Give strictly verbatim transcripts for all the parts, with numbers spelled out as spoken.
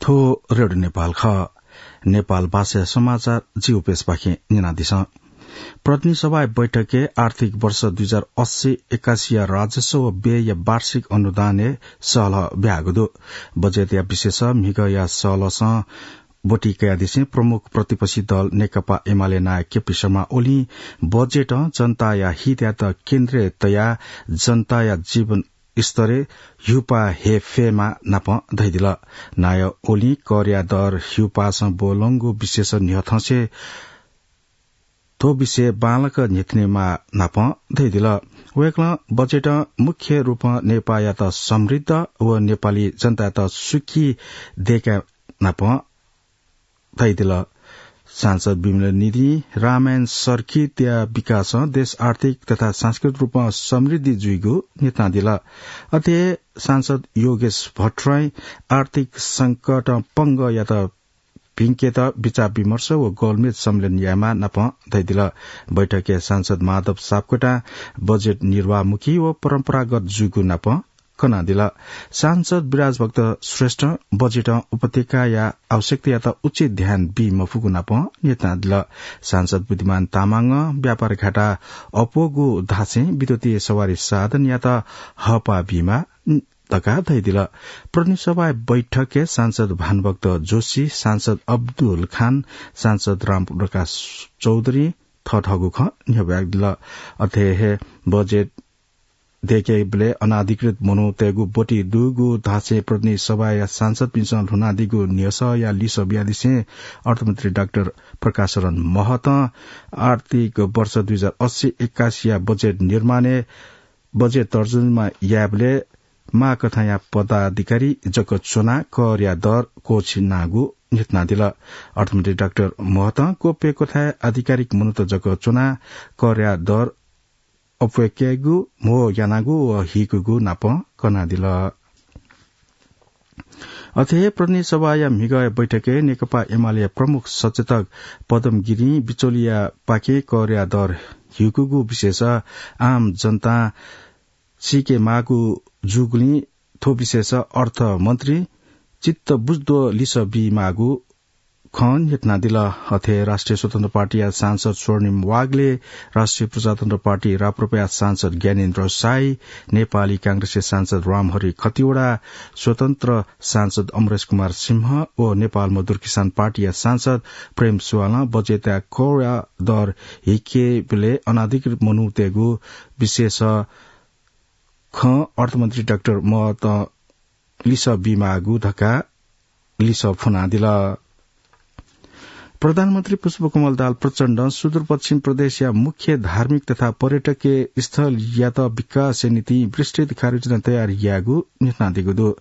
थ्व रेडियो नेपाल खः। नेपाल भाषा समाचार जि उपेशपाखें न्यनादिसँ। प्रतिनिधि सभाया बैठकय् आर्थिक वर्ष दुई हजार अस्सी एकासीया राजस्व व व्ययया वार्षिक अनुदानय् सहलह ब्याहागु दु। बजेटया विषयस म्हिगःया सहलहसं ब्वति कयादिसें प्रमुख प्रतिपक्षी दल नेकपा एमाले नायः केपी शर्मा ओलीं बजेटं जनताया हितयात केन्द्रय् तयाः जनताया जीवन स्तरय् ह्युपाः हे फयेमा नापं धयादिल। नायः ओलीं करया दर ह्युपाःसं ब्वलंगु विषयस न्ह्यथंसे थ्व विषय बांलाक न्ह्यथनेमा नापं धयादिल। वय्कलं बजेटं मुख्य रूपं नेपाःयात समृद्ध व नेपाली जनतायात सुखी दयेका नापं धयादिल। सांसद विमल निधिं रामायण सर्किटया विकासं देश आर्थिक तथा सांस्कृतिक रूपं समृद्धि जुइगु न्ह्यथनादिल। अथे सांसद योगेश भट्टराईं आर्थिक संकटं पंगःयात भिंकेत विचार विमर्श व गोलमेज सम्मेलन यायेमा नापं धयादिल। बैठकय् सांसद माधव सापकोटां बजेट निर्वाहमुखी व परम्परागत जूगु नापं कनादिल। सांसद विराजभक्त श्रेष्ठं बजेटं उपत्यकाया आवश्यकतायात उचित ध्यान बी मफुगु नापं न्ह्यथनादिल। सांसद बुद्धिमान तामाङं व्यापार घाटा अप्वःगु धासें विद्युतीय सवारी साधनयात हःपाः बीमा धकाः धयादिल। प्रतिनिधि सभाया बैठकय् सांसद भानुभक्त जोशी, सांसद अब्दुल खान, सांसद रामप्रकाश चौधरी थःथःगु खँ न्ह्यब्वयादिल। अथे हे बजेट दय्केबलय् अनाधिकृत मनूतय्गु ब्वति दुगु धासें प्रतिनिधि सभाया सांसदपिन्सं ल्हुनादीगु न्ह्यसःया लिसः बियादिसें अर्थमन्त्री डाक्टर प्रकाश शरण महतं आर्थिक वर्ष दुई हजार अस्सी एकासीया बजेट निर्माणय् बजेट तर्जुमा यायेबलय् माःकथंया पदाधिकारी जक च्वनाः करया दर क्वःछिनागु न्ह्यथनादिल। अर्थमन्त्री डाक्टर महतं गोप्य कथाय् आधिकारिक मनूत जक च्वनाः करया दर अप्वय्केगु, म्हो यानागु व हीकुगु नापं कनादिल। अथे हे प्रतिनिधि सभाया म्हिगःया बैठकय् नेकपा एमालेया प्रमुख सचेतक पदम गिरिं बिचौलियापाखें करया दर ह्यूकूगु विषयस आम जनतां सीके माःगु जूगुलिं थ्व विषयस अर्थमन्त्री चित्त बुझ्दो लिसः बीमाःगु खँ न्ह्यथनादिल। अथे राष्ट्रिय स्वतन्त्र पार्टीया सांसद स्वर्णिम वाग्ले, राष्ट्रिय प्रजातन्त्र पार्टी राप्रपाया सांसद ज्ञानेन्द्र साई, नेपाली कांग्रेसया सांसद रामहरि खतिवडा, स्वतन्त्र सांसद अमरेश कुमार सिंह व नेपाल मजदुर किसान पार्टीया सांसद प्रेम सुवालं बजेटया करया दर हीकेबलय् अनाधिकृत मनूतय्गु विषयस खँ अर्थमन्त्री डाक्टर महतं लिसः बीमाःगु धकाः लिसः फ्वनादिल। प्रधानमन्त्री पुष्पकमल दाहाल प्रचण्डं सुदूरपश्चिम प्रदेशया मुख्य धार्मिक तथा पर्यटकीय स्थलयात विकासया निंतिं विस्तृत कार्ययोजना तयार यायेगु न्ह्यथनादीगु दु।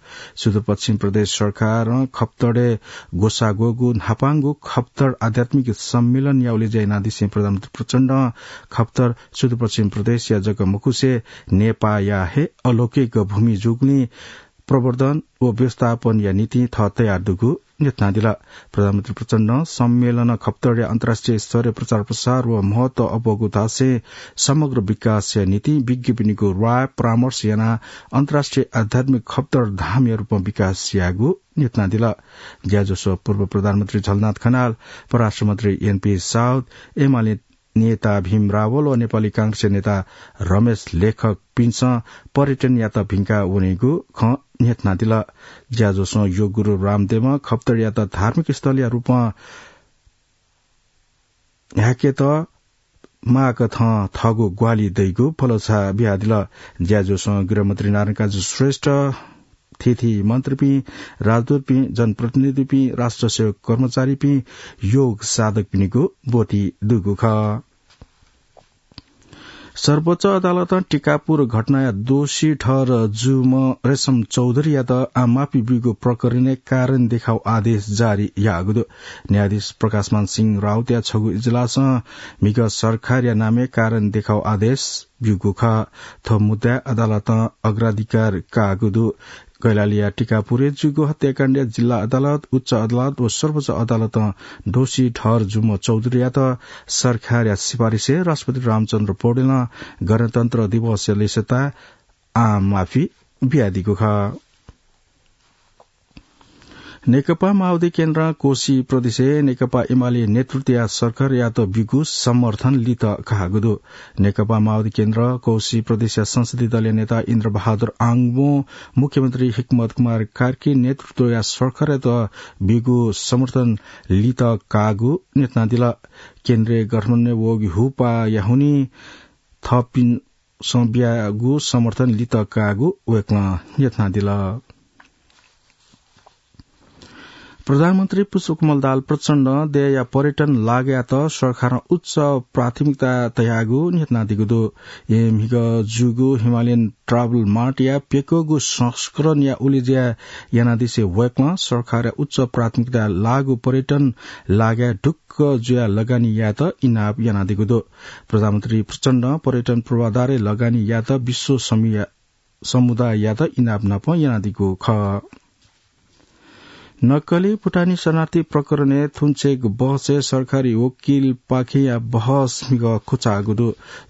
सुदूरपश्चिम प्रदेश सरकारं खप्तडय् ग्वसाः ग्वःगु न्हापांगु खप्तड आध्यात्मिक सम्मेलनया उलेज्या यानादिसें प्रधानमन्त्री प्रचण्डं खप्तड सुदूरपश्चिम प्रदेशया जक मखुसे नेपाःया हे अलौकिक भूमि जूगुलिं प्रवर्धन व व्यवस्थापनया निंतिं थः तयार दुगु न्ह्यथनादिल। प्रधानमन्त्री प्रचण्डं सम्मेलनं खप्तडया अन्तर्राष्ट्रिय स्तरय् प्रचार प्रसार व महत्व अप्वःगु धासें समग्र विकासया निंतिं विज्ञपिनिगु राय परामर्श यानाः अन्तर्राष्ट्रिय आध्यात्मिक खप्तड धामया रूपं विकास यायेगु न्ह्यथनादिल। ज्याझ्वलय् पूर्व प्रधानमन्त्री झलनाथ खनाल, परराष्ट्र मन्त्री एनपी साउद, एमाले नेता भीम रावल व नेपाली कांग्रेसया नेता रमेश लेखकपिन्सं पर्यटनयात भिंका वनीगु खँ न्ह्यथनादिल। ज्याझ्वलय् योग गुरु रामदेवं खप्तडयात धार्मिक स्थलया रूपं न्ह्याकेत माःकथं थःगु ग्वाहालि दइगु भलसा बियादिल। ज्याझ्वलय् गृहमन्त्री नारायणकाजी श्रेष्ठ, थीथी मन्त्रीपिं, राजदूतपिं, जनप्रतिनिधिपिं, राष्ट्र सेवक कर्मचारीपिं, योग साधकपिनिगु ब्वति दुगु खः। सर्वोच्च अदालतं टिकापुर घटनाया दोषी ठहर जूम्ह रेशम चौधरीयात आम माफी ब्यूगु प्रकरणय् कारण देखाउ आदेश जारी याःगु दु। न्यायाधीश प्रकाशमान सिंह राउतया छगू इजलासं म्हिगः सरकारया नामय् कारण देखाउ आदेश ब्यूगु खः। थ्व मुद्दाय् अदालतं अग्राधिकार काःगु दु। कैलालीया टिकापुरय् जूगु हत्याकाण्डय् जिल्ला अदालत, उच्च अदालत व सर्वोच्च अदालतं दोषी ठहर जूम्ह चौधरीयात सरकारया सिफारिसय् राष्ट्रपति रामचन्द्र पौडेलं गणतन्त्र दिवसया लिसताय् आम माफी बियादीगु खः। नेकपा माओवादी केन्द्रं कोशी प्रदेशय् नेकपा एमाले नेतृत्वया सरकारयात ब्यूगु समर्थन लित काःगु दु। नेकपा माओवादी केन्द्र कोशी प्रदेशया संसदीय दलया नेता इन्द्र बहादुर आङबों मुख्यमन्त्री हिक्मत कुमार कार्की नेतृत्वया सरकारयात ब्यूगु समर्थन लित काःगु न्ह्यथनादिल। केन्द्रीय गठबन्धनय् वःगु हुपाया हुनिं थःपिन्सं ब्यागु समर्थन लित काःगु वय्कलं न्ह्यथनादिल। प्रधानमन्त्री पुष्पकमल दाहाल प्रचण्डं देय्‌या पर्यटन लागयात सरकारं उच्च प्राथमिकता तयागु न्ह्यथनादीगु दु। येँ म्हिगः जूगु हिमालयन ट्राभल मार्टया प्यक्वःगु संस्करणया उलेज्या यानादिसें वय्कलं सरकारया उच्च प्राथमिकता लाःगु पर्यटन लागय् ढुक्क जुयाः लगानी यायेत इनाप यानादीगु दु। प्रधानमन्त्री प्रचण्डं पर्यटन पूर्वाधारय् लगानी यायेत विश्व समुदाययात इनाप नाप यानादीगु खः। नक्कली भुटानी शरणार्थी प्रकरणय् थुन्चेक बहसय् सरकारी वकिलपाखेंया बहस म्हिगः क्वचाःगु दु।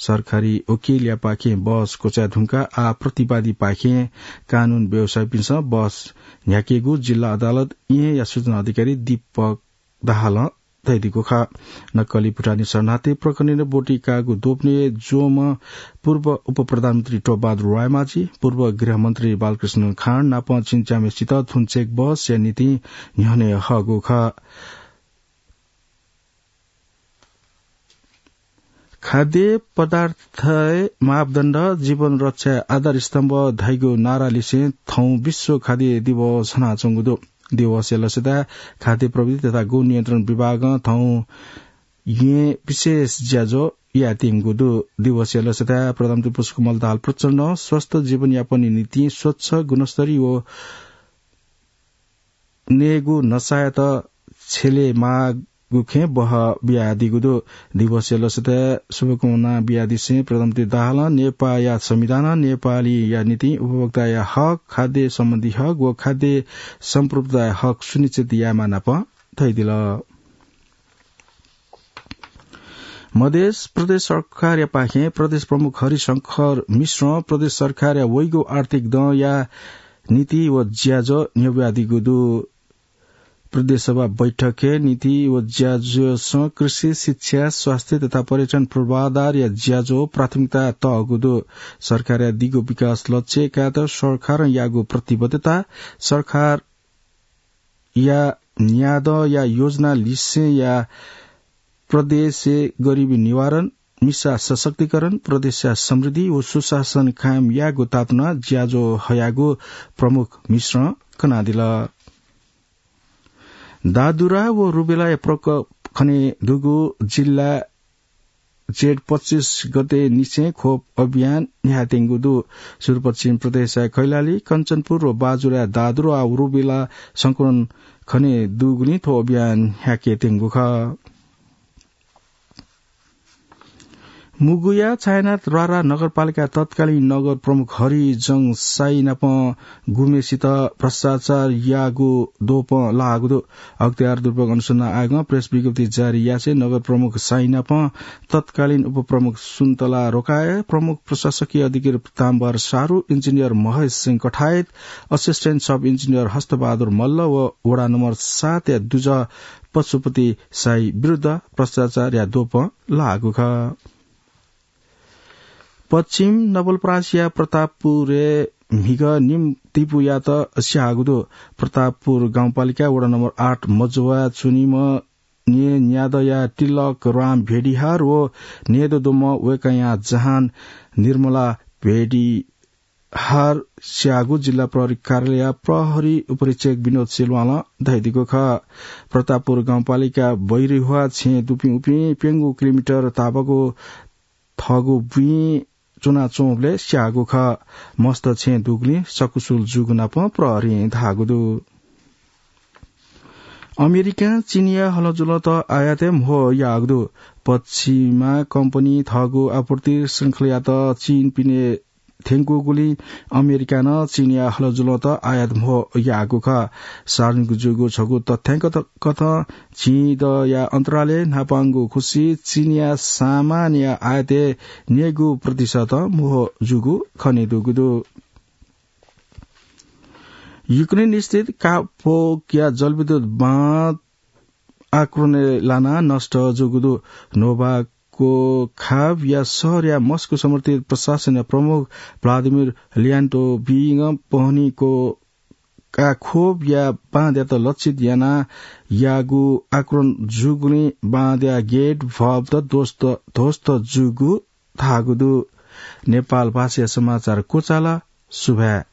सरकारी वकिलयापाखें बहस क्वचाये धुंकाः आः प्रतिवादीपाखें कानून व्यवसायीपिन्सं बहस न्ह्याकेगु जिल्ला अदालत येँया सूचना अधिकारी दीपक दाहालं धयादीगु खः। नक्कली भुटानी शरणार्थी प्रकरणय् ब्वति काःगु दोपनय् ज्वंम्ह पूर्व उपप्रधानमन्त्री टोपबहादुर रायमाझी, पूर्व गृहमन्त्री बालकृष्ण खाँड नाप झिंच्याम्हय्सित थुन्चेक बहसया निंतिं न्ह्यःने हःगु खः। खाद्य पदार्थय् मापदण्ड जीवन रक्षाया आधारस्तम्भ धाइगु नारा लिसें थौं विश्व खाद्य दिवस हनाच्वंगु दु। दिवसया लसताय् खाद्य प्रविधि तथा गुण नियन्त्रण विभागं थौं येँ विशेष ज्याझ्वः यायेत्यंगु दु। दिवसया लसताय् प्रधानमन्त्री पुष्पकमल दाहाल प्रचण्डं स्वस्थ जीवनयापनया निंतिं स्वच्छ, गुणस्तरीय व नयेगु नसायात छ्यलेमाःगु खँय् बहः बियादीगु दु। दिवसया लसताय् शुभकामना बियादिसें प्रधानमन्त्री दाहालं नेपाःया संविधानं नेपालीया निंतिं उपभोक्ताया हक, खाद्य सम्बन्धी हक व खाद्य सम्प्रभुताया हक सुनिश्चित यायेमाः नाप धयादिल। मधेस प्रदेश सरकारयापाखें प्रदेश प्रमुख हरिशंकर मिश्रं प्रदेश सरकारया वइगु आर्थिक दँया नीति व ज्याझ्वः न्ह्यब्वयादीगु दु। प्रदेश सभा बैठकय् नीति व ज्याझ्वःसं कृषि, शिक्षा, स्वास्थ्य तथा पर्यटन पूर्वाधारया ज्याझ्वः प्राथमिकता तःगु दु। सरकारया दिगु विकास लक्ष्य कायेत सरकारं याःगु प्रतिबद्धता, सरकारया न्यादँया योजना लिसेंया प्रदेशय् गरिबी निवारण, मिसा सशक्तिकरण, प्रदेशया समृद्धि व सुशासन कायम यायेगु तातुना ज्याझ्वः हयागु प्रमुख मिश्रं कनादिल। दादुरा व रुबेलाया प्रकोप खनेदुगु जिल्ला जेठ पच्चिस गते निसें खोप अभियान न्ह्यायेत्यंगु दु। सुदूरपश्चिम प्रदेशया कैलाली, कञ्चनपुर व बाजुराया दादुरा व रुबेला संक्रमण खनेदुगुलिं थ्व अभियान न्ह्याकेत्यंगु खः। मुगुया छायानाथ रारा नगरपालिका तत्कालीन नगर प्रमुख हरिजङ साई नाप गुम्हेसित भ्रष्टाचार याःगु दोपं लाःगु दु। अख्तियार दुरुपयोग अनुसन्धान आयोगं प्रेस विज्ञप्ति जारी यासें नगर प्रमुख साई नाप तत्कालीन उपप्रमुख सुन्तला रोकाया, प्रमुख प्रशासकीय अधिकारी पिताम्बर सारु, इन्जिनियर महेश सिंह कठायत, असिस्टेन्ट सब इन्जिनियर हस्तबहादुर मल्ल व वडा नम्बर सातया दुजः पशुपति साई विरुद्ध भ्रष्टाचारया दोपं लाःगु खः। पश्चिम नवलपरासीया प्रतापपुरय् म्हिगः निम्ह तिपुयात स्याःगु दु। प्रतापपुर गाउँपालिका वडा नम्बर आठ मजुवा च्वनीम्ह न्येन्यादँया तिलक राम भेडिहार व न्येदँ दुम्ह वय्कःया जहान निर्मला भेडि हार स्याःगु जिल्ला प्रहरी कार्यालयया प्रहरी उपरीक्षक विनोद सिल्वालं धयादीगु खः। प्रतापपुर गाउँपालिका बैरिहुवा छेँ दुपिं उपिं प्यंगू किलोमिटर तापाकू थःगू बुँइ च्वनाच्वंबलय् स्याःगु खः। मस्त छेँ दुगुलिं सकुशल जूगु नाप प्रहरीं धाःगु दु। अमेरिकां चीनया हलंजुलंत आयातय् म्हो याःगु दु। पश्चिमा कम्पनी थःगु आपूर्ति श्रृंखलायात चीनपिने थ्यंकूगुलिं अमेरिकां नं चीनया हलंजुलंत आयात म्हो याःगु खः। सार्वजनिक जूगु छगू तथ्याङ्क कथं झिंदँया अन्तरालय् न्हापांगु खुसि चीनया सामानया आयातय् न्यय्गू प्रतिशत म्हो जूगु खनेदुगु दु। युक्रेन स्थित कापोकिया जलविद्युत बाँध आक्रोनय् लानाः नष्ट जूगु दु। नोभाकोखाभया शहरया मस्को समर्थित प्रशासनया प्रमुख भ्लादिमिर लियान्टोभिङ पहनीको काखोभया बाँधयात लक्षित यानाः याःगु आक्रोन जूगुलिं बाँधया गेट भवत ध्वस्त, ध्वस्त जूगु धाःगु दु। नेपाल भाषाया समाचार क्वचाल। सुभाय्।